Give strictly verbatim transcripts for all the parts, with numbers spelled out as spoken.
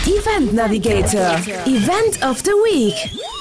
Event Navigator, Event of the Week.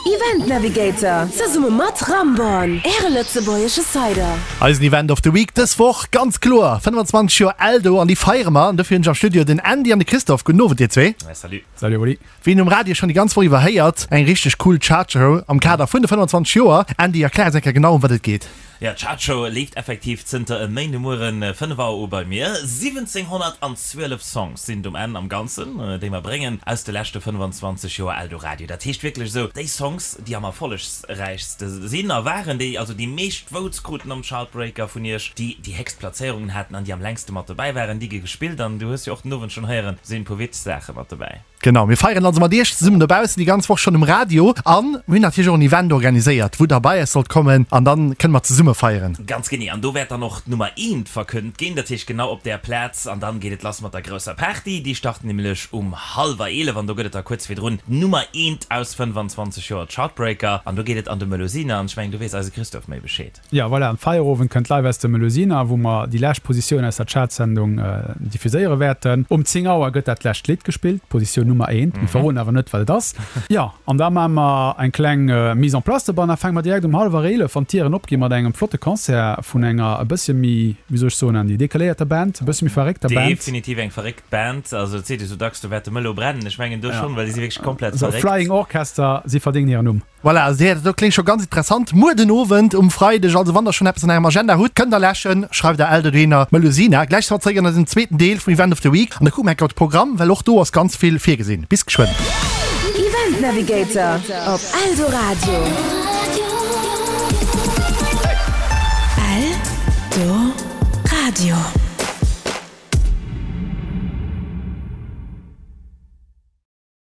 Event Navigator, zesumme mat Ramborn, Äre lëtzebuergesche Cider. Eisen Event of the Week dës Woch, ganz kloer, fënnefenzwanzeg Joer Eldo an déi feiere mer. An dofir hunn ech am Studio den Andy an de Christophe. Gudden Owend dir zwee. Salut. Salut Oli. Wéi een um Radio schonn déi ganz Woch iwwer héiert, eng richteg cool Chartshow am Kader vun de fënnefenzwanzeg Joer. Andy, erklär eis eng Kéier genau ëm wat et geet. Jo, d'Chartshow leeft effektiv zënter e Méindemueren fënnef Auer u bei mir. siwwenzénghonnertanzwielef Songs sinn et um Enn am Ganzen, déi mer bréngen aus de leschte fënnefenzwanzeg Joer Eldoradio. Dat heescht wierklech esou, déi Songs, déi am erfollegsräichste sinn a waren, déi also déi meescht Votes kruten am Chartbreaker vun iech, déi déi héchst Platzéierungen haten an déi am längste mat dobäi waren, déi gi gespillt. An du hues jo och den Owend schonn héieren, sinn e puer witzeg Saache mat dobäi. Genau, mir feieren also mat iech zesummen dobaussen déi ganz Woch schonn um Radio an mir hunn natierlech och en Event organiséiert, wou der bei eis sollt kommen an dann kënne mer zesumme feieren. Ganz genee, an do wäert dann och d'Nummer eent verkënnt ginn, dat heescht genau op där Plaz an dann geet et lass mat der grousser Party. Déi start nämlech um hallwer eelef an do gëtt et da kuerz virdrun d'Nummer eent aus fënnefanzwanzeg Joer Chartbreaker an do geet et an de Melusina an ech mengen do weess eise Christophe méi Bescheed. Jo, voilà, am Feierowend kënnt live aus dem Melusina, wou mer déi lescht Positioun aus der Chartsendung diffuséiere wäerten. Um zéng Auer gëtt dat lescht Lidd gespillt, Positioun Nummer eent. Mir verroden awer net, wat et ass. Jo, an da maache mer eng kleng Mise en place dobanner. Fänke mer direkt um hallwer eelef, wann d'Dieren opginn, mat engem flotte Concert vun enger e bëssche méi, wéi soll ech soen, Andy, decaléierter Band, e bëssche méi verréckter Band. Definitiv eng verréckt Band. Also et seet ee sou dacks, do wäert de Mëllo brennen. Ech mengen do schonn, well déi si wierklech komplett verréckt. Flying Orchester, si verdéngen hiren Numm. Voilà, also dat do kléngt scho ganz interessant. Muer den Owend um Freideg, also wann der schonn eppes an ärem Agenda hutt, kënnt der läschen, schreift der Eldodohinner Melusina. Gläich si mer zeréck an eisem zweeten Deel vum Event of the Week an da kucke mer enk op de Programm, well och do ass ganz vill virgesinn. Bis geschwënn. Event Navigator op Eldoradio. Eldoradio.